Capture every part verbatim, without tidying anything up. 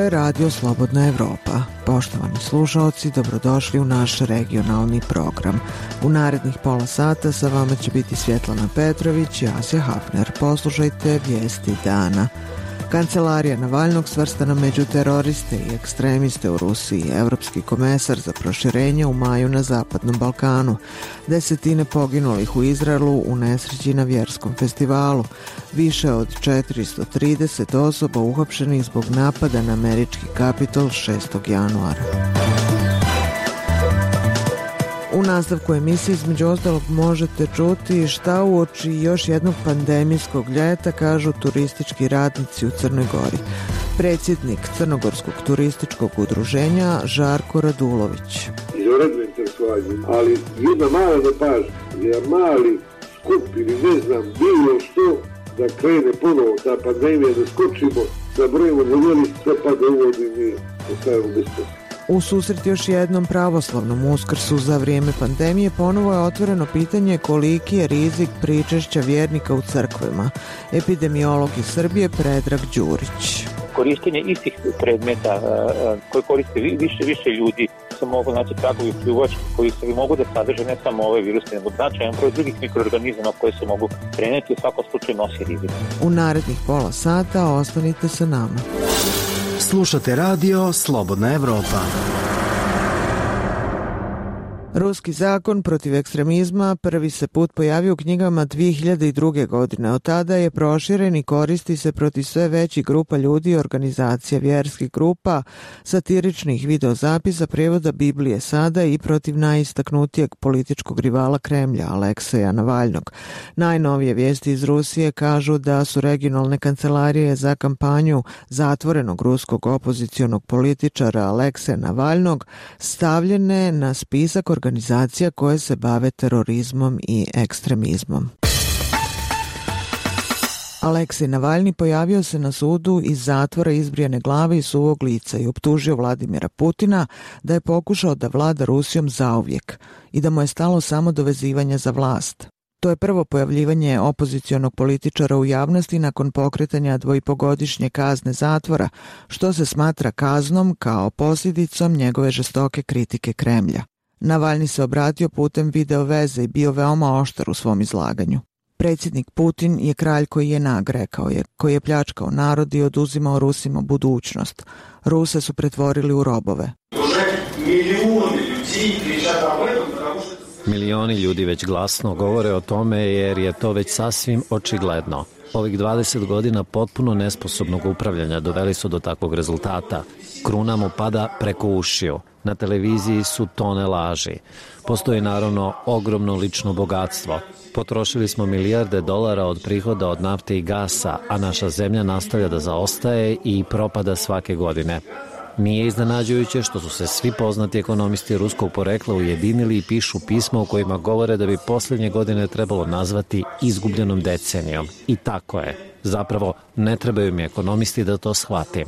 je Radio Slobodna Evropa. Poštovani slušaoci, dobrodošli u naš regionalni program. U narednih pola sata sa vama će biti Svjetlana Petrović i Asja Hafner. Poslušajte vijesti dana. Kancelarija Navalnog svrstana među teroriste i ekstremiste u Rusiji. Evropski komesar za proširenje u maju na Zapadnom Balkanu. Desetine poginulih u Izraelu u nesreći na vjerskom festivalu. Više od četiristo trideset osoba uhapšenih zbog napada na američki Kapitol šestog januara. U nastavku emisije između ostalog možete čuti šta uoči još jednog pandemijskog ljeta kažu turistički radnici u Crnoj Gori. Predsjednik Crnogorskog turističkog udruženja Žarko Radulović. Izvanredno interesovanje, ali jedna mala nepažnja, jedan mali skup ili ne znam bilo što da krene ponovo ta pandemija, da skočimo, da brojimo voljeli, sve pa da uvodi mi ostavimo bez posla. U susret još jednom pravoslavnom Uskrsu za vrijeme pandemije ponovo je otvoreno pitanje koliki je rizik pričešća vjernika u crkvama. Epidemiolog iz Srbije Predrag Đurić. Korištenje istih predmeta koje koriste više više ljudi se mogu naći tragovi pljuvački koji se mogu da sadrže ne samo ove viruse, nego značajan broj drugih mikroorganizama koje se mogu preneti, u svakom slučaju nosi rizik. U narednih pola sata ostanite sa nama. Slušate radio Slobodna Evropa. Ruski zakon protiv ekstremizma prvi se put pojavio u knjigama dvije hiljade druge. godine. Od tada je proširen i koristi se protiv sve većih grupa ljudi i organizacija, vjerskih grupa, satiričnih videozapisa, prevoda Biblije sada i protiv najistaknutijeg političkog rivala Kremlja, Alekseja Navalnog. Najnovije vijesti iz Rusije kažu da su regionalne kancelarije za kampanju zatvorenog ruskog opozicionog političara Alekseja Navalnog stavljene na spisak organizacija koje se bave terorizmom i ekstremizmom. Aleksej Navalni pojavio se na sudu iz zatvora izbrijane glave i suvog lica i optužio Vladimira Putina da je pokušao da vlada Rusijom zauvijek i da mu je stalo samo do vezivanja za vlast. To je prvo pojavljivanje opozicionog političara u javnosti nakon pokretanja dvojpogodišnje kazne zatvora, što se smatra kaznom kao posljedicom njegove žestoke kritike Kremlja. Navalni se obratio putem video veze i bio veoma oštar u svom izlaganju. Predsjednik Putin je kralj koji je nag, rekao je, koji je pljačkao narod i oduzimao Rusima budućnost. Ruse su pretvorili u robove. Milioni ljudi već glasno govore o tome jer je to već sasvim očigledno. Ovih dvadeset godina potpuno nesposobnog upravljanja doveli su do takvog rezultata. Kruna mu pada preko ušiju. Na televiziji su tone laži. Postoji naravno ogromno lično bogatstvo. Potrošili smo milijarde dolara od prihoda od nafte i gasa, a naša zemlja nastavlja da zaostaje i propada svake godine. Nije iznenađujuće što su se svi poznati ekonomisti ruskog porekla ujedinili i pišu pisma u kojima govore da bi posljednje godine trebalo nazvati izgubljenom decenijom. I tako je. Zapravo, ne trebaju mi ekonomisti da to shvatim.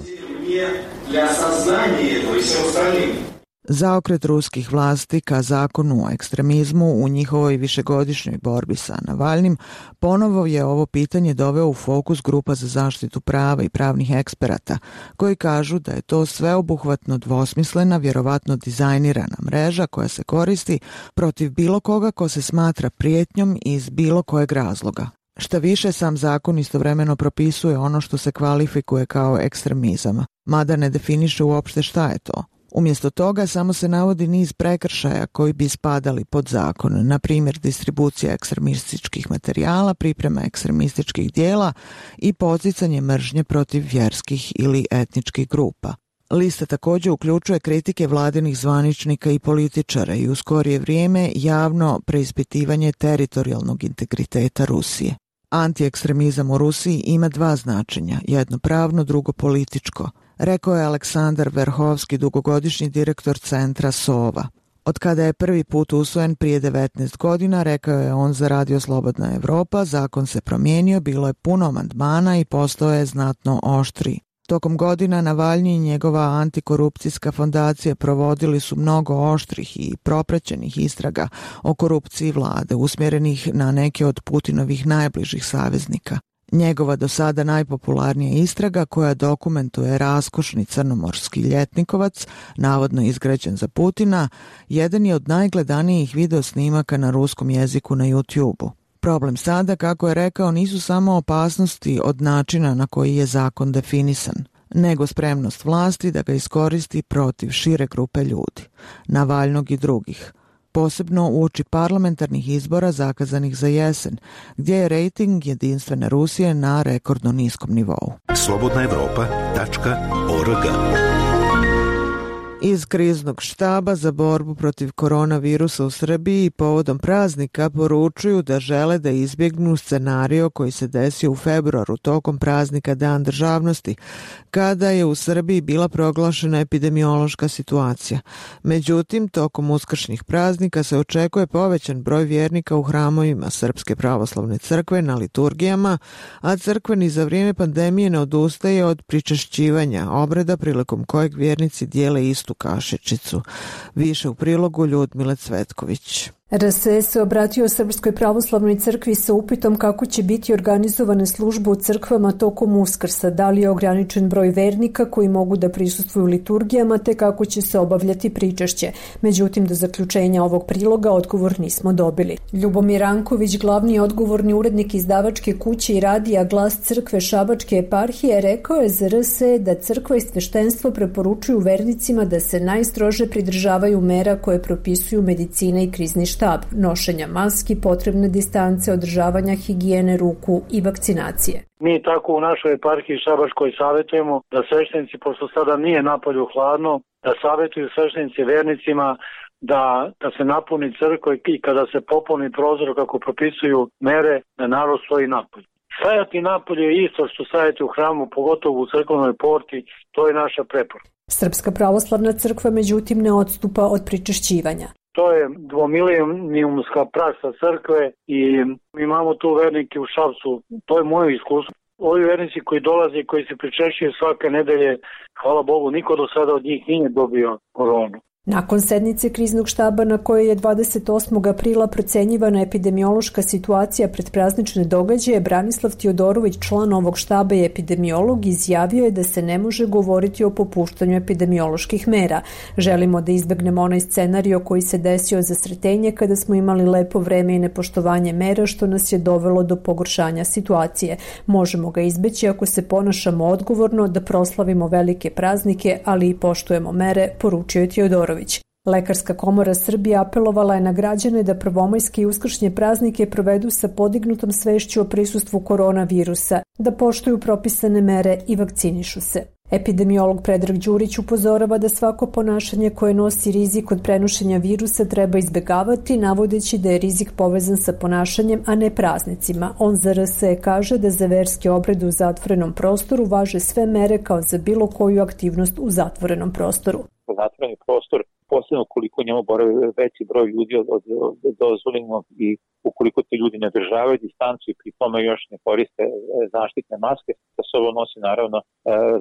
Zaokret ruskih vlasti ka zakonu o ekstremizmu u njihovoj višegodišnjoj borbi sa Navalnim ponovo je ovo pitanje doveo u fokus grupa za zaštitu prava i pravnih eksperata, koji kažu da je to sveobuhvatno dvosmislena, vjerovatno dizajnirana mreža koja se koristi protiv bilo koga ko se smatra prijetnjom iz bilo kojeg razloga. Šta više, sam zakon istovremeno propisuje ono što se kvalifikuje kao ekstremizam, mada ne definiše uopšte šta je to. Umjesto toga samo se navodi niz prekršaja koji bi spadali pod zakon, na primjer distribucija ekstremističkih materijala, priprema ekstremističkih dijela i poticanje mržnje protiv vjerskih ili etničkih grupa. Lista također uključuje kritike vladinih zvaničnika i političara i u skorije vrijeme javno preispitivanje teritorijalnog integriteta Rusije. Antiekstremizam u Rusiji ima dva značenja, jedno pravno, drugo političko, rekao je Aleksandar Verhovski, dugogodišnji direktor centra Sova. Od kada je prvi put usvojen prije devetnaest godina, rekao je on za Radio Slobodna Evropa, zakon se promijenio, bilo je puno amandmana i postao je znatno oštriji. Tokom godina Navalni i njegova antikorupcijska fondacija provodili su mnogo oštrih i propraćenih istraga o korupciji vlade, usmjerenih na neke od Putinovih najbližih saveznika. Njegova do sada najpopularnija istraga koja dokumentuje raskošni crnomorski ljetnikovac, navodno izgrađen za Putina, jedan je od najgledanijih video snimaka na ruskom jeziku na YouTube-u. Problem sada, kako je rekao, nisu samo opasnosti od načina na koji je zakon definisan, nego spremnost vlasti da ga iskoristi protiv šire grupe ljudi, Navalnog i drugih, posebno uoči parlamentarnih izbora zakazanih za jesen, gdje je rejting Jedinstvene Rusije na rekordno niskom nivou. slobodna evropa tačka org. Iz kriznog štaba za borbu protiv koronavirusa u Srbiji povodom praznika poručuju da žele da izbjegnu scenario koji se desio u februaru tokom praznika Dan državnosti, kada je u Srbiji bila proglašena epidemiološka situacija. Međutim, tokom uskršnjih praznika se očekuje povećan broj vjernika u hramovima Srpske pravoslavne crkve na liturgijama, a crkveni za vrijeme pandemije ne odustaje od pričešćivanja obreda prilikom kojeg vjernici dijele istu kašičicu. Više u prilogu Ljudmile Cvetković. R S E se obratio Srpskoj pravoslavnoj crkvi sa upitom kako će biti organizovane službe u crkvama tokom Uskrsa, da li je ograničen broj vernika koji mogu da prisustvuju liturgijama, te kako će se obavljati pričešće. Međutim, do zaključenja ovog priloga odgovor nismo dobili. Ljubomir Ranković, glavni odgovorni urednik izdavačke kuće i radija Glas crkve Šabačke eparhije, rekao je za R S E da crkva i sveštenstvo preporučuju vernicima da se najstrože pridržavaju mera koje propisuju medicina i krizni štab, nošenja maski, potrebne distance, održavanja higijene ruku i vakcinacije. Mi tako u našoj eparhiji Šabačkoj savjetujemo da sveštenici, pošto sada nije napolju hladno, da savjetuju sveštenici vernicima da, da se napuni crkva i kada se popuni prozor kako propisuju mere, da narod stoji napolju. Stajati napolje je isto što stajati u hramu, pogotovo u crkvenoj porti, to je naša preporuka. Srpska pravoslavna crkva međutim ne odstupa od pričešćivanja. To je dvomilenijumska praksa crkve i imamo tu vernike u Šapcu. To je moje iskustvo. Ovi vernici koji dolaze i koji se pričešćuju svake nedelje, hvala Bogu, niko do sada od njih nije dobio koronu. Nakon sednice kriznog štaba na kojoj je dvadeset osmog aprila procenjivana epidemiološka situacija pred praznične događaje, Branislav Tiodorović, član ovog štaba i epidemiolog, izjavio je da se ne može govoriti o popuštanju epidemioloških mera. Želimo da izbegnemo onaj scenario koji se desio za Sretenje kada smo imali lepo vreme i nepoštovanje mera što nas je dovelo do pogoršanja situacije. Možemo ga izbeći ako se ponašamo odgovorno, da proslavimo velike praznike, ali i poštujemo mere, poručio je Tiodorović. Lekarska komora Srbije apelovala je na građane da prvomajske i uskršnje praznike provedu sa podignutom svešću o prisustvu koronavirusa, da poštuju propisane mere i vakcinišu se. Epidemiolog Predrag Đurić upozorava da svako ponašanje koje nosi rizik od prenošenja virusa treba izbegavati, navodeći da je rizik povezan sa ponašanjem, a ne praznicima. On za R S E kaže da za verske obrede u zatvorenom prostoru važe sve mere kao za bilo koju aktivnost u zatvorenom prostoru. Zatvoreni prostor, posebno ukoliko njemu boravi veći broj ljudi od, od, od dozvoljenog i ukoliko ti ljudi ne državaju distancu i pri tome još ne koriste zaštitne maske, sa sobom nosi naravno e,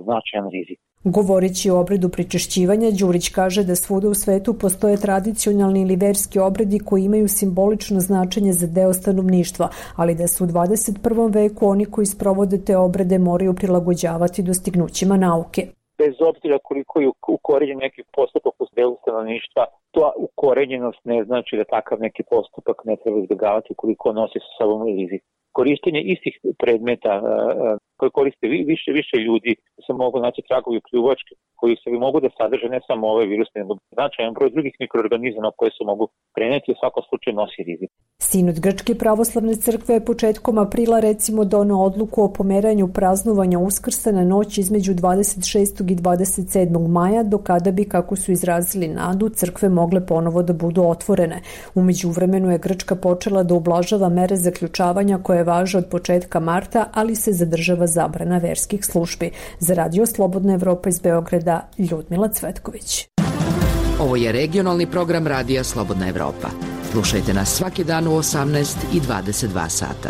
značajan rizik. Govoreći o obredu pričešćivanja, Đurić kaže da svuda u svetu postoje tradicionalni ili verski obredi koji imaju simbolično značenje za deo stanovništva, ali da su u dvadeset prvom veku oni koji sprovode te obrede moraju prilagođavati dostignućima nauke. Bez obzira koliko je ukorenjen neki postupak u delu stanovništva, to ukorenjenost ne znači da takav neki postupak ne treba izbjegavati koliko nosi sa sobom rizik. Korištenje istih predmeta koje koriste više više ljudi, se mogu naći tragovi pljuvačke koji se mogu da sadrže ne samo ove virusne, nego značajan broj drugih mikroorganizama koje se mogu preneti, u svakom slučaju nosi rizik. Sinod Grčke pravoslavne crkve je početkom aprila recimo doneo odluku o pomeranju praznovanja Uskrsa na noć između dvadeset šestog i dvadeset sedmog maja, do kada bi, kako su izrazili nadu, crkve mogle ponovo da budu otvorene. U međuvremenu je Grčka počela da ublažava mere zaključavanja koje važe od početka marta, ali se zadržava zabrana verskih službi. Za Radio Slobodna Evropa iz Beograda, Ljudmila Cvetković. Ovo je regionalni program Radija Slobodna Evropa. Slušajte nas svaki dan u osamnaest i dvadeset dva sata.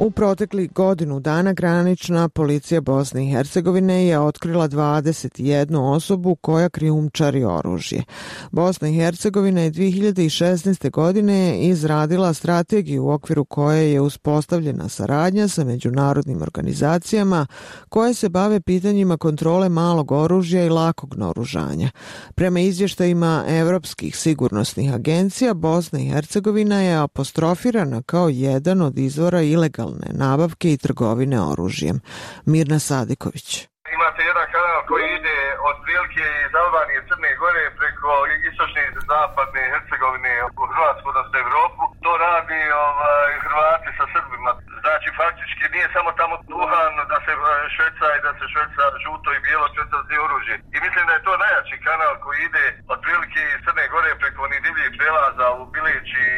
U proteklih godinu dana granična policija Bosne i Hercegovine je otkrila dvadeset jednu osobu koja krijumčari oružje. Bosna i Hercegovina je dvije hiljade šesnaeste. godine izradila strategiju u okviru koje je uspostavljena saradnja sa međunarodnim organizacijama koje se bave pitanjima kontrole malog oružja i lakog naoružanja. Prema izvještajima evropskih sigurnosnih agencija, Bosna i Hercegovina je apostrofirana kao jedan od izvora ilegalne nabavke i trgovine oružjem. Mirna Sadiković. Imate jedan kanal koji ide od prilike iz Albanije, Crne Gore preko istočne i zapadne Hercegovine u Hrvatsku, odnosno Evropu. To radi ovaj, Hrvati sa Srbima. Znači faktički nije samo tamo duhan da se šverca i da se šverca žuto i bijelo, šverca zdi oružje. I mislim da je to najjači kanal koji ide od prilike iz Crne Gore preko onih divljih prelaza u Bilić i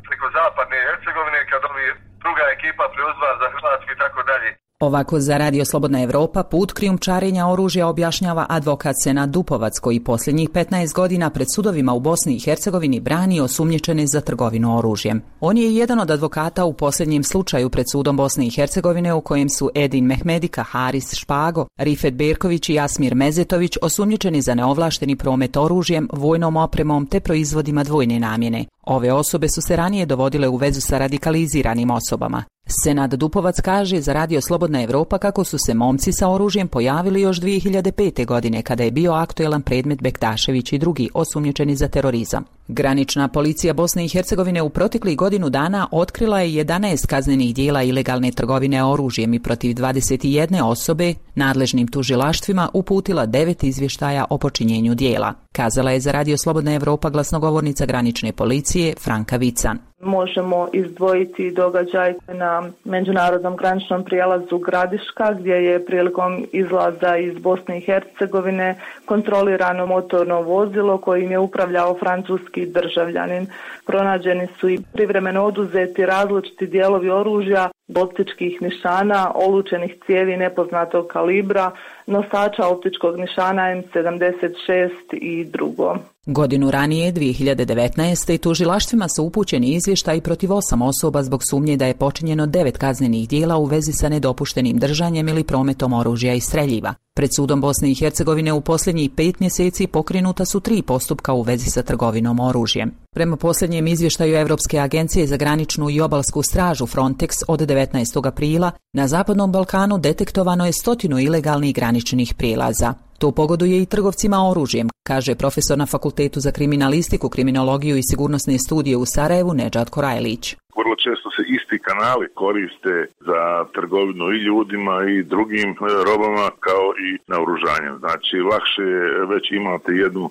preko zapadne Hercegovine kad ovi druga ekipa preuzva za Hrvatsku i tako dalje. Ovako za Radio Slobodna Evropa put krijumčarenja oružja objašnjava advokat Senad Dupovac, koji posljednjih petnaest godina pred sudovima u Bosni i Hercegovini brani osumnjičene za trgovinu oružjem. On je jedan od advokata u posljednjem slučaju pred sudom Bosne i Hercegovine u kojem su Edin Mehmedika, Haris Špago, Rifet Berković i Jasmir Mezetović osumnjičeni za neovlašteni promet oružjem, vojnom opremom te proizvodima dvojne namjene. Ove osobe su se ranije dovodile u vezu sa radikaliziranim osobama. Senad Dupovac kaže za Radio Slobodna Evropa kako su se momci sa oružjem pojavili još dvije hiljade pete. godine kada je bio aktuelan predmet Bektašević i drugi osumnjičeni za terorizam. Granična policija Bosne i Hercegovine u proteklih godinu dana otkrila je jedanaest kaznenih dijela ilegalne trgovine oružjem i protiv dvadeset jedne osobe nadležnim tužilaštvima uputila devet izvještaja o počinjenju dijela. Kazala je za Radio Slobodna Evropa glasnogovornica granične policije Franka Vican. Možemo izdvojiti događaj na međunarodnom graničnom prijelazu Gradiška gdje je prilikom izlaza iz Bosne i Hercegovine kontrolirano motorno vozilo kojim je upravljao francuski državljanin. Pronađeni su i privremeno oduzeti različiti dijelovi oružja, optičkih nišana, olučenih cijevi nepoznatog kalibra, nosača optičkog nišana M sedamdeset šest i drugo. Godinu ranije, dvije hiljade devetnaeste. tužilaštvima su upućeni izvještaji protiv osam osoba zbog sumnje da je počinjeno devet kaznenih dijela u vezi sa nedopuštenim držanjem ili prometom oružja i streljiva. Pred sudom Bosne i Hercegovine u posljednjih pet mjeseci pokrenuta su tri postupka u vezi sa trgovinom oružjem. Prema posljednjem izvještaju Evropske agencije za graničnu i obalsku stražu Frontex od devetnaestog aprila, na Zapadnom Balkanu detektovano je stotinu ilegalnih graničnih prijelaza. To pogoduje i trgovcima oružjem, kaže profesor na Fakultetu za kriminalistiku, kriminologiju i sigurnosne studije u Sarajevu Nedžad Korajlić. Vrlo često se isti kanali koriste za trgovinu i ljudima i drugim robama kao i naoružanjem. Znači, lakše je već imate jednu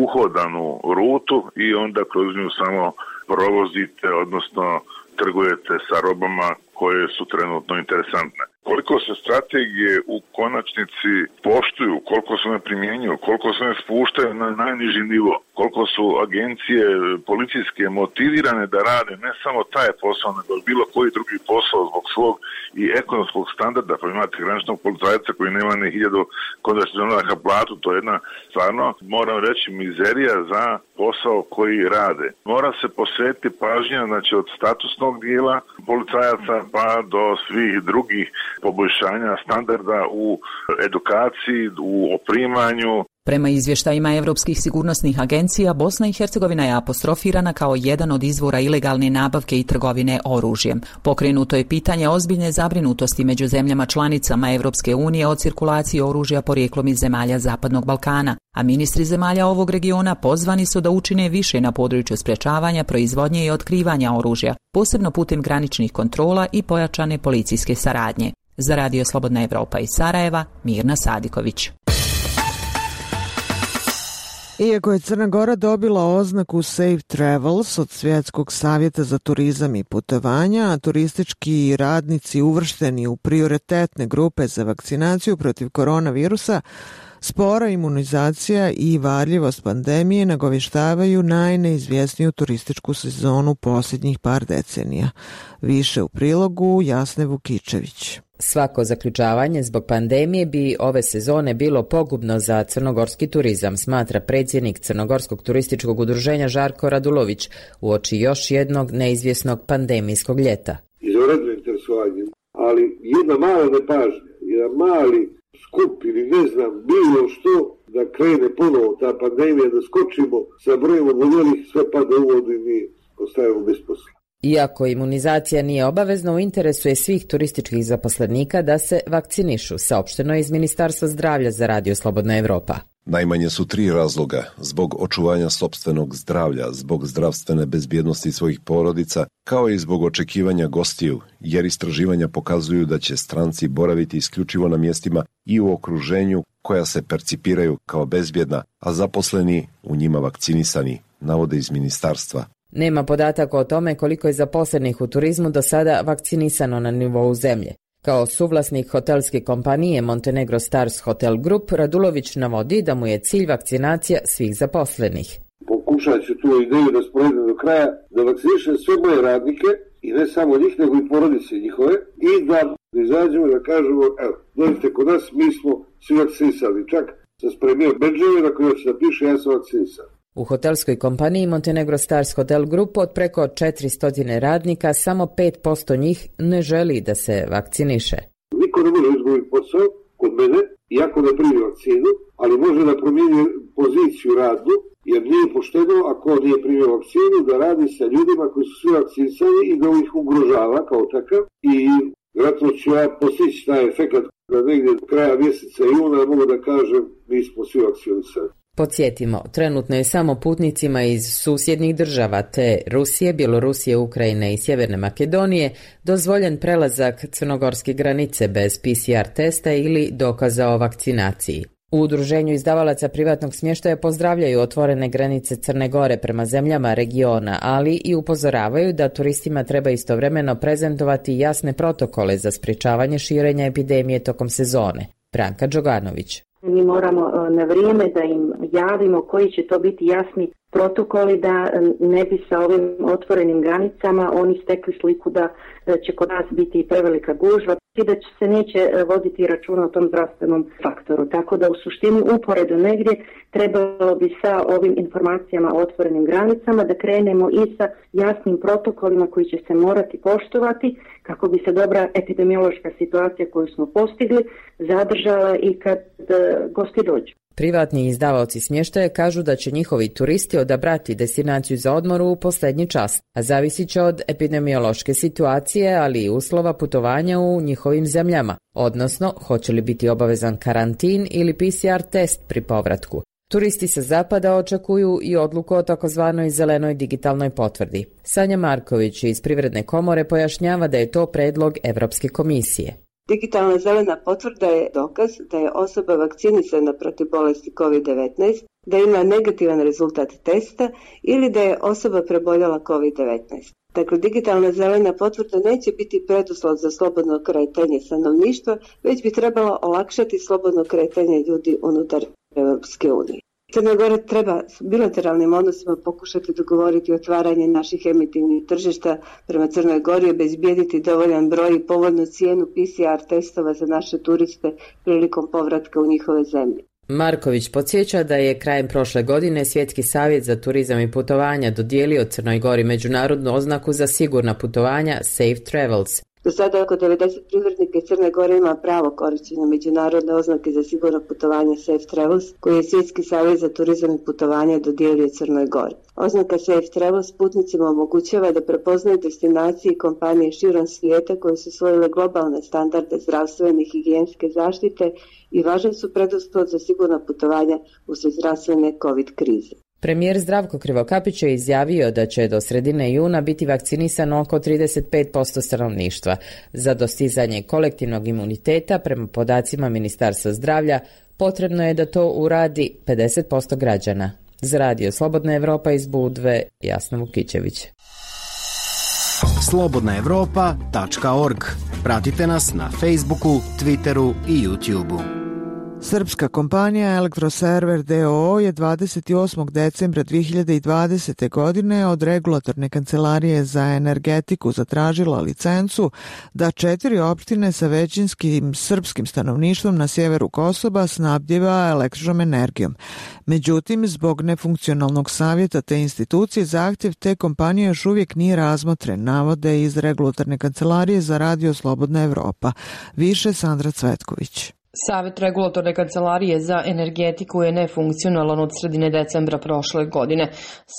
uhodanu rutu i onda kroz nju samo provozite, odnosno trgujete sa robama koje su trenutno interesantne. Koliko se strategije u konačnici poštuju, koliko se ne primjenjuju, koliko se ne spuštaju na najniži nivo, koliko su agencije policijske motivirane da rade ne samo taj posao, nego bilo koji drugi posao zbog svog i ekonomskog standarda, pa imate graničnog policajca koji nema ni hiljadu konversionalaka platu, to je jedna stvarno, moram reći, mizerija za posao koji rade. Mora se posvetiti pažnja, znači od statusnog dijela policajaca pa do svih drugih poboljšanja standarda u edukaciji, u oprimanju. Prema izvještajima Evropskih sigurnosnih agencija, Bosna i Hercegovina je apostrofirana kao jedan od izvora ilegalne nabavke i trgovine oružjem. Pokrenuto je pitanje ozbiljne zabrinutosti među zemljama članicama Evropske unije o cirkulaciji oružja porijeklom iz zemalja Zapadnog Balkana, a ministri zemalja ovog regiona pozvani su da učine više na području sprečavanja, proizvodnje i otkrivanja oružja, posebno putem graničnih kontrola i pojačane policijske saradnje. Za Radio Slobodna Evropa iz Sarajeva, Mirna Sadiković. Iako je Crna Gora dobila oznaku Safe Travels od Svjetskog savjeta za turizam i putovanja, a turistički radnici uvršteni u prioritetne grupe za vakcinaciju protiv koronavirusa, spora imunizacija i varljivost pandemije nagovještavaju najneizvjesniju turističku sezonu posljednjih par decenija. Više u prilogu Jasne Vukičević. Svako zaključavanje zbog pandemije bi ove sezone bilo pogubno za crnogorski turizam, smatra predsjednik Crnogorskog turističkog udruženja Žarko Radulović uoči još jednog neizvjesnog pandemijskog ljeta. Izvanredno interesuje interesovanjem, ali jedna mala nepažnja, jedan mali skup ili ne znam, bilo što, da krene ponovo ta pandemija, da skočimo sa brojem oboljelih, sve pada u vodu i mi ostajemo bez posla. Iako imunizacija nije obavezna, u interesu je svih turističkih zaposlenika da se vakcinišu, saopšteno je iz Ministarstva zdravlja za Radio Slobodna Evropa. Najmanje su tri razloga: zbog očuvanja sopstvenog zdravlja, zbog zdravstvene bezbjednosti svojih porodica, kao i zbog očekivanja gostiju, jer istraživanja pokazuju da će stranci boraviti isključivo na mjestima i u okruženju koja se percipiraju kao bezbjedna, a zaposleni u njima vakcinisani, navode iz ministarstva. Nema podataka o tome koliko je zaposlenih u turizmu do sada vakcinisano na nivou zemlje. Kao suvlasnik hotelske kompanije Montenegro Stars Hotel Group, Radulović navodi da mu je cilj vakcinacija svih zaposlenih. Pokušat ću tu ideju da sprovedem do kraja, da vakcinišem sve moje radnike i ne samo njih, nego i porodice njihove, i da izađemo da kažemo, evo, dođite kod nas, mi smo svi vakcinisali. Čak sam spremio bedževe na koje će da piše ja sam vakcinisan. U hotelskoj kompaniji Montenegro Stars Hotel Group od preko četiristo radnika samo pet posto njih ne želi da se vakciniše. Niko ne može izgubiti posao kod mene, iako ne primi vakcinu, ali može da promijeni poziciju radnu, jer nije pošteno ako nije primio vakcinu da radi sa ljudima koji su svi vakcinisani i da ih ugrožava kao takav. I vjerojatno ću ja postići taj efekt da negdje do kraja mjeseca juna mogu da kažem mi smo svi vakcinisani. Podsjetimo, trenutno je samo putnicima iz susjednih država te Rusije, Bjelorusije, Ukrajine i Sjeverne Makedonije dozvoljen prelazak crnogorske granice bez P C R testa ili dokaza o vakcinaciji. U Udruženju izdavalaca privatnog smještaja pozdravljaju otvorene granice Crne Gore prema zemljama regiona, ali i upozoravaju da turistima treba istovremeno prezentovati jasne protokole za sprječavanje širenja epidemije tokom sezone. Branka Đoganović. Mi moramo na vrijeme da im javimo koji će to biti jasni protokoli da ne bi sa ovim otvorenim granicama oni stekli sliku da će kod nas biti prevelika gužva i da se neće voditi računa o tom zdravstvenom faktoru. Tako da u suštini uporedo negdje trebalo bi sa ovim informacijama o otvorenim granicama da krenemo i sa jasnim protokolima koji će se morati poštovati kako bi se dobra epidemiološka situacija koju smo postigli zadržala i kad gosti dođu. Privatni izdavaoci smještaja kažu da će njihovi turisti odabrati destinaciju za odmor u posljednji čas, a zavisit će od epidemiološke situacije, ali i uslova putovanja u njihovim zemljama, odnosno hoće li biti obavezan karantin ili P C R test pri povratku. Turisti sa zapada očekuju i odluku o takozvanoj zelenoj digitalnoj potvrdi. Sanja Marković iz Privredne komore pojašnjava da je to predlog Evropske komisije. Digitalna zelena potvrda je dokaz da je osoba vakcinisana protiv bolesti kovid devetnaest, da ima negativan rezultat testa ili da je osoba preboljela kovid devetnaest. Dakle, digitalna zelena potvrda neće biti preduslov za slobodno kretanje stanovništva, već bi trebalo olakšati slobodno kretanje ljudi unutar Europske unije. Crna Gora treba s bilateralnim odnosima pokušati dogovoriti otvaranje naših emitivnih tržišta prema Crnoj Gori i obezbijediti dovoljan broj i povoljnu cijenu P C R testova za naše turiste prilikom povratka u njihove zemlje. Marković podsjeća da je krajem prošle godine Svjetski savjet za turizam i putovanja dodijelio Crnoj Gori međunarodnu oznaku za sigurna putovanja Safe Travels. Do sada oko devedeset privrednika iz Crne Gore ima pravo korištenja međunarodne oznake za sigurno putovanje Safe Travels, koji je Svjetski savjet za turizam i putovanja dodijelio Crnoj Gori. Oznaka Safe Travels putnicima omogućava da prepoznaju destinacije i kompanije širom svijeta koje su usvojile globalne standarde zdravstvene i higijenske zaštite i važan su preduslov za sigurna putovanja uslijed zdravstvene COVID krize. Premijer Zdravko Krivokapić je izjavio da će do sredine juna biti vakcinisano oko trideset pet posto stanovništva. Za dostizanje kolektivnog imuniteta, prema podacima Ministarstva zdravlja, potrebno je da to uradi pedeset posto građana. Za Radio Slobodna Evropa iz Budve, Jasna Vukićević. slobodna evropa tačka org. Pratite nas na Facebooku, Twitteru i YouTubeu. Srpska kompanija Elektroserver d o o je dvadeset osmog decembra dve hiljade dvadesete. godine od Regulatorne kancelarije za energetiku zatražila licencu da četiri opštine sa većinskim srpskim stanovništvom na sjeveru Kosova snabdjeva električnom energijom. Međutim, zbog nefunkcionalnog savjeta te institucije, zahtjev te kompanije još uvijek nije razmotren, navode iz Regulatorne kancelarije za Radio Slobodna Evropa. Više Sandra Cvetković. Savet Regulatorne kancelarije za energetiku je nefunkcionalan od sredine decembra prošle godine.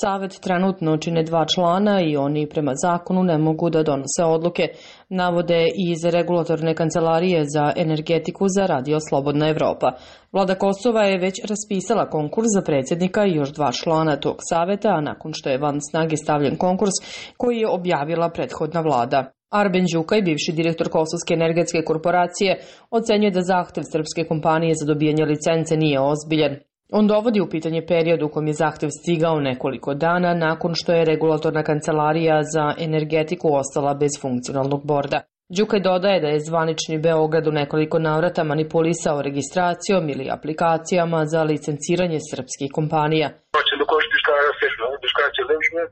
Savet trenutno čine dva člana i oni prema zakonu ne mogu da donose odluke, navode iz Regulatorne kancelarije za energetiku za Radio Slobodna Evropa. Vlada Kosova je već raspisala konkurs za predsjednika i još dva člana tog saveta, a nakon što je van snage stavljen konkurs koji je objavila prethodna vlada. Arben Đukaj, bivši direktor Kosovske energetske korporacije, ocenjuje da zahtev srpske kompanije za dobijanje licence nije ozbiljan. On dovodi u pitanje period u kojem je zahtev stigao nekoliko dana nakon što je Regulatorna kancelarija za energetiku ostala bez funkcionalnog borda. Đukaj dodaje da je zvanični Beograd u nekoliko navrata manipulisao registracijom ili aplikacijama za licenciranje srpskih kompanija.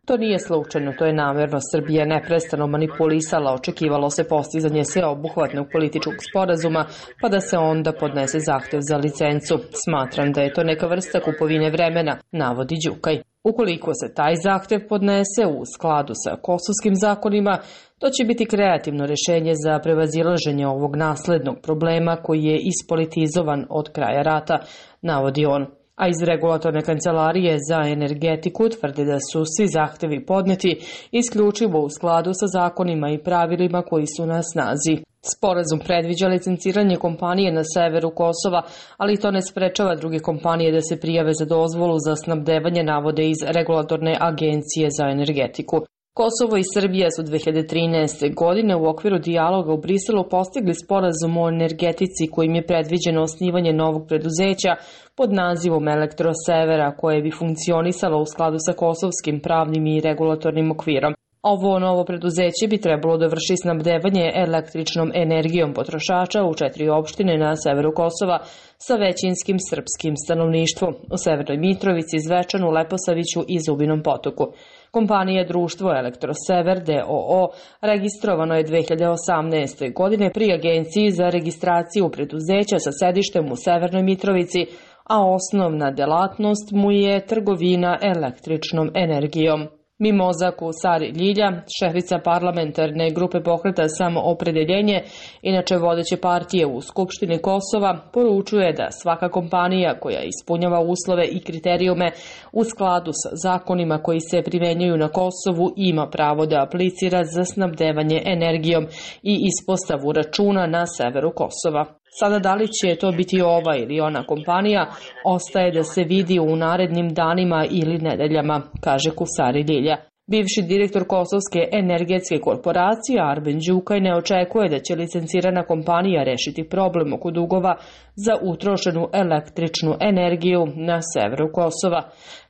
To nije slučajno, to je namjerno. Srbija neprestano manipulisala, očekivalo se postizanje sveobuhvatnog političkog sporazuma, pa da se onda podnese zahtev za licencu. Smatram da je to neka vrsta kupovine vremena, navodi Đukaj. Ukoliko se taj zahtev podnese u skladu sa kosovskim zakonima, to će biti kreativno rješenje za prevazilaženje ovog naslednog problema koji je ispolitizovan od kraja rata, navodi on. A iz Regulatorne kancelarije za energetiku tvrde da su svi zahtevi podneti isključivo u skladu sa zakonima i pravilima koji su na snazi. Sporazum predviđa licenciranje kompanije na severu Kosova, ali to ne sprečava druge kompanije da se prijave za dozvolu za snabdevanje, navode iz Regulatorne agencije za energetiku. Kosovo i Srbija su dve hiljade trinaeste. godine u okviru dijaloga u Briselu postigli sporazum o energetici kojim je predviđeno osnivanje novog preduzeća pod nazivom Elektrosevera koje bi funkcionisalo u skladu sa kosovskim pravnim i regulatornim okvirom. Ovo novo preduzeće bi trebalo da vrši snabdevanje električnom energijom potrošača u četiri opštine na severu Kosova sa većinskim srpskim stanovništvom u Severnoj Mitrovici, Zvečanu, Leposaviću i Zubinom Potoku. Kompanija društvo Elektrosever d o o registrovano je dve hiljade osamnaeste. godine pri Agenciji za registraciju preduzeća sa sedištem u Severnoj Mitrovici, a osnovna delatnost mu je trgovina električnom energijom. Mimoza Kusari Ljilja, šefica parlamentarne grupe pokreta Samoopredeljenje, inače vodeće partije u Skupštini Kosova, poručuje da svaka kompanija koja ispunjava uslove i kriterijume u skladu sa zakonima koji se primenjuju na Kosovu ima pravo da aplicira za snabdevanje energijom i ispostavu računa na severu Kosova. Sada da li će to biti ova ili ona kompanija, ostaje da se vidi u narednim danima ili nedeljama, kaže Kusari Ljilja. Bivši direktor Kosovske energetske korporacije Arben Đukaj ne očekuje da će licencirana kompanija rešiti problem oko dugova za utrošenu električnu energiju na severu Kosova.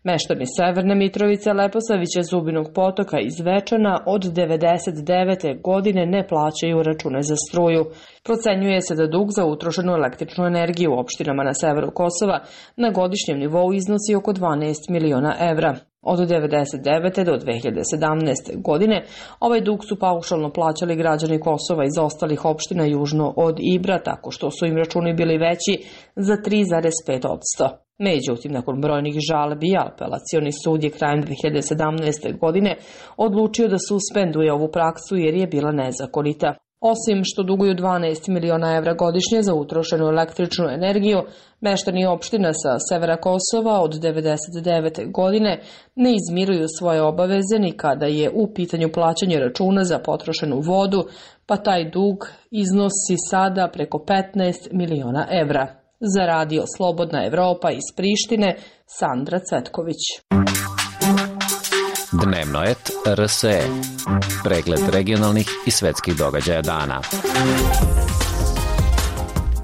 Meštani Severne Mitrovice, Leposavića, Zubinog Potoka i Zvečana od devedeset devete. godine ne plaćaju račune za struju. Procenjuje se da dug za utrošenu električnu energiju u opštinama na severu Kosova na godišnjem nivou iznosi oko dvanaest miliona evra. Od devedeset devete. do dve hiljade sedamnaeste. godine ovaj dug su paušalno plaćali građani Kosova iz ostalih opština južno od Ibra, tako što su im računi bili veći za tri zarez pet posto. Međutim, nakon brojnih žalbi, apelacioni sud je krajem dve hiljade sedamnaeste. godine odlučio da suspenduje ovu praksu jer je bila nezakonita. Osim što duguju dvanaest miliona evra godišnje za utrošenu električnu energiju, meštani opština sa severa Kosova od devedeset devete. godine ne izmiruju svoje obaveze ni kada je u pitanju plaćanje računa za potrošenu vodu, pa taj dug iznosi sada preko petnaest miliona evra. Za Radio Slobodna Evropa iz Prištine, Sandra Cvetković. Dnevno et R S E. Pregled regionalnih i svetskih događaja dana.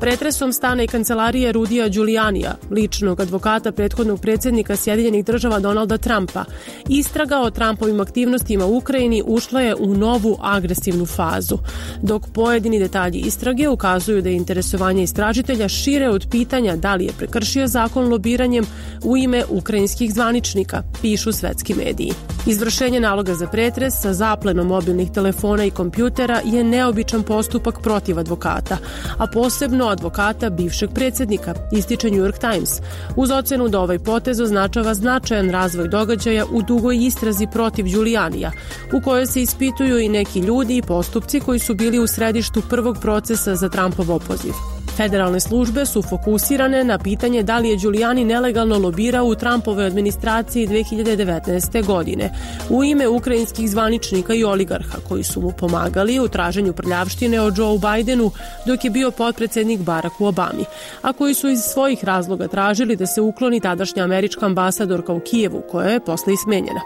pretresom stana i kancelarije Rudija Giulianija, ličnog advokata prethodnog predsjednika Sjedinjenih država Donalda Trumpa, istraga o Trumpovim aktivnostima u Ukrajini ušla je u novu agresivnu fazu, dok pojedini detalji istrage ukazuju da je interesovanje istražitelja šire od pitanja da li je prekršio zakon lobiranjem u ime ukrajinskih zvaničnika, pišu svetski mediji. Izvršenje naloga za pretres sa zaplenom mobilnih telefona i kompjutera je neobičan postupak protiv advokata, a posebno advokata bivšeg predsjednika, ističe New York Times, uz ocenu da ovaj potez označava značajan razvoj događaja u dugoj istrazi protiv Giulianija, u kojoj se ispituju i neki ljudi i postupci koji su bili u središtu prvog procesa za Trumpov opoziv. Federalne službe su fokusirane na pitanje da li je Giuliani nelegalno lobirao u Trumpovoj administraciji dve hiljade devetnaeste. godine u ime ukrajinskih zvaničnika i oligarha koji su mu pomagali u traženju prljavštine o Joe Bidenu dok je bio potpredsjednik Baracku Obami, a koji su iz svojih razloga tražili da se ukloni tadašnja američka ambasadorka u Kijevu, koja je posle i smenjena.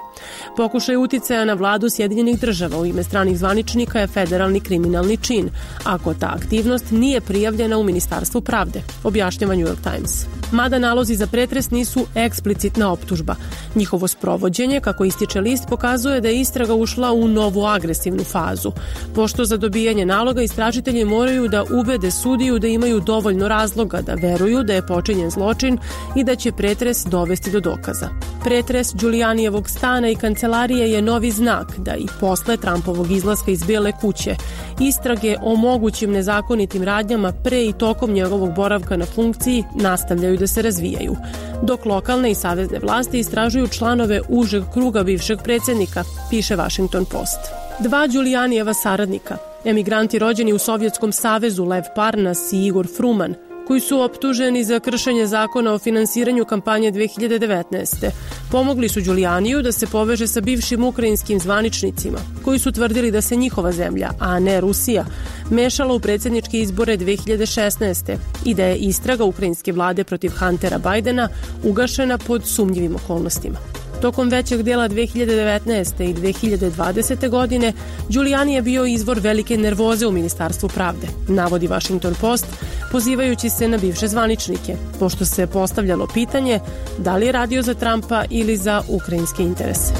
Pokušaj uticaja na vladu Sjedinjenih država u ime stranih zvaničnika je federalni kriminalni čin, ako ta aktivnost nije prijavljena u Ministarstvu pravde, objašnjava New York Times. Mada nalozi za pretres nisu eksplicitna optužba. Njihovo sprovođenje, kako ističe list, pokazuje da je istraga ušla u novu agresivnu fazu, pošto za dobijanje naloga istražitelji moraju da ubede sudiju da imaju dovoljno razloga da veruju da je počinjen zločin i da će pretres dovesti do dokaza. Pretres Giulianijevog stana i kancelarije je novi znak da i posle Trumpovog izlaska iz Bijele kuće istrage o mogućim nezakonitim radnjama pre i tokom njegovog boravka na funkciji nastavljaju da se razvijaju, dok lokalne i savezne vlasti istražuju članove užeg kruga bivšeg predsjednika, piše Washington Post. Dva Giulianijeva saradnika, emigranti rođeni u Sovjetskom savezu Lev Parnas i Igor Fruman, koji su optuženi za kršenje zakona o finansiranju kampanje dve hiljade devetnaeste. Pomogli su Giulianiju da se poveže sa bivšim ukrajinskim zvaničnicima, koji su tvrdili da se njihova zemlja, a ne Rusija, mešala u predsjedničke izbore dve hiljade šesnaeste. i da je istraga ukrajinske vlade protiv Huntera Bidena ugašena pod sumnjivim okolnostima. Tokom većeg dela dve hiljade devetnaeste. i dve hiljade dvadesete. godine Giuliani je bio izvor velike nervoze u Ministarstvu pravde, navodi Washington Post, pozivajući se na bivše zvaničnike, pošto se postavljalo pitanje da li je radio za Trumpa ili za ukrajinske interese.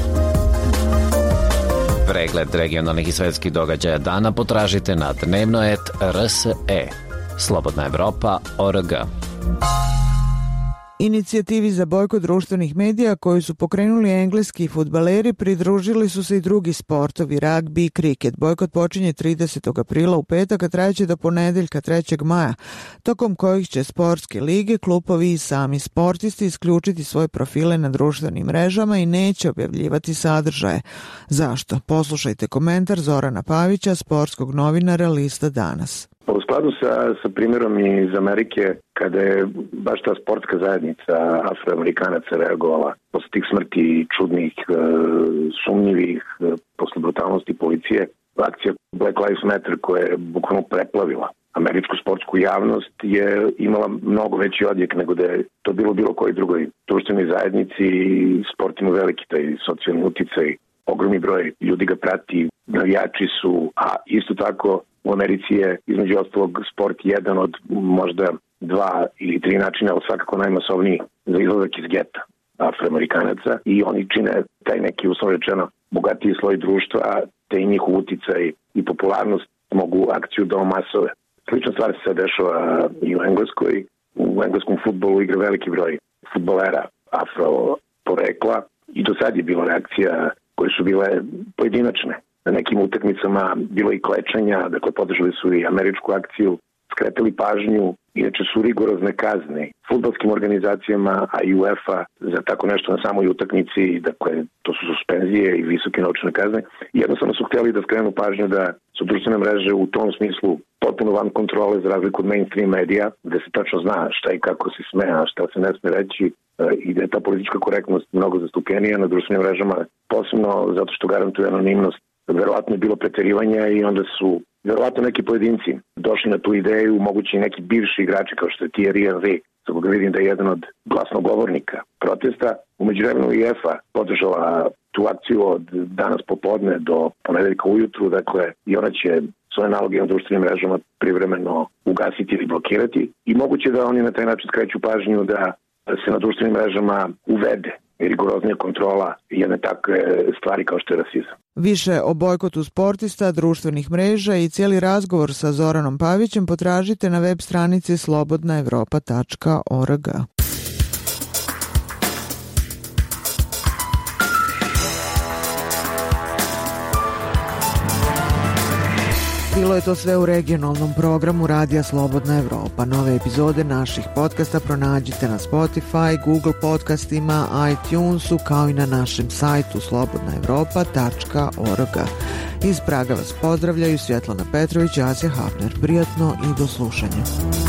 Pregled regionalnih i svetskih događaja dana potražite na dnevno et er s e. Slobodna Evropa точка org. Inicijativi za bojkot društvenih medija koju su pokrenuli engleski fudbaleri pridružili su se i drugi sportovi, ragbi i kriket. Bojkot počinje tridesetog aprila u petak, a trajeće do ponedeljka trećeg maja, tokom kojih će sportske lige, klubovi i sami sportisti isključiti svoje profile na društvenim mrežama i neće objavljivati sadržaje. Zašto? Poslušajte komentar Zorana Pavića, sportskog novinara lista Danas. U skladu sa, sa primjerom iz Amerike, kada je baš ta sportska zajednica Afroamerikanaca reagovala posle tih smrti čudnih, sumnjivih, posle brutalnosti policije, akcija Black Lives Matter koja je bukvalno preplavila američku sportsku javnost je imala mnogo veći odjek nego da je to bilo bilo koji drugoj društvenoj zajednici. Sport ima veliki taj socijalni uticaj, ogromni broj ljudi ga prati, navijači su, a isto tako u Americi je između ostalog sport jedan od možda dva ili tri načina, ali svakako najmasovniji za izlazak iz geta Afroamerikanaca i oni čine taj neki, uslovno rečeno, bogatiji sloj društva, te i njihov uticaj i popularnost mogu akciju da omasove. Slična stvar se dešava i u Engleskoj. U engleskom fudbalu igra veliki broj fudbalera afro porekla i do sad je bilo reakcija koje su bile pojedinačne. Na nekim utakmicama bilo i klečanja, dakle podržali su i američku akciju, skretali pažnju, inače su rigorozne kazne fudbalskim organizacijama, a i UEFA za tako nešto na samoj utakmici, dakle to su suspenzije i visoke novčane kazne. Jednostavno su htjeli da skrenu pažnju da su društvene mreže u tom smislu potpuno van kontrole za razliku od mainstream medija, gde se tačno zna šta i kako se sme, a šta se ne sme reći, i da je ta politička korektnost mnogo zastupljenija na društvenim mrežama, posebno zato što garantuje anonimnost. Verovatno je bilo preterivanja i onda su verovatno neki pojedinci došli na tu ideju, mogući neki bivši igrači kao što je Thierry Henry, za koga vidim da je jedan od glasnogovornika protesta. U međuvremenu i UEFA podržala tu akciju od danas popodne do ponedeljka ujutru, dakle i ona će svoje naloge na društvenim mrežama privremeno ugasiti ili blokirati i moguće da oni na taj način skreću pažnju da se na društvenim mrežama uvede rigoroznija kontrola jedne takve stvari kao što je rasizam. Više o bojkotu sportista, društvenih mreža i cijeli razgovor sa Zoranom Pavićem potražite na web stranici slobodna evropa tačka org. Bilo je to sve u regionalnom programu Radija Slobodna Evropa. Nove epizode naših podcasta pronađite na Spotify, Google podcastima, iTunesu, kao i na našem sajtu slobodna evropa tačka org. Iz Praga vas pozdravljaju Svjetlana Petrović i Asja Hafner. Prijatno i do slušanja.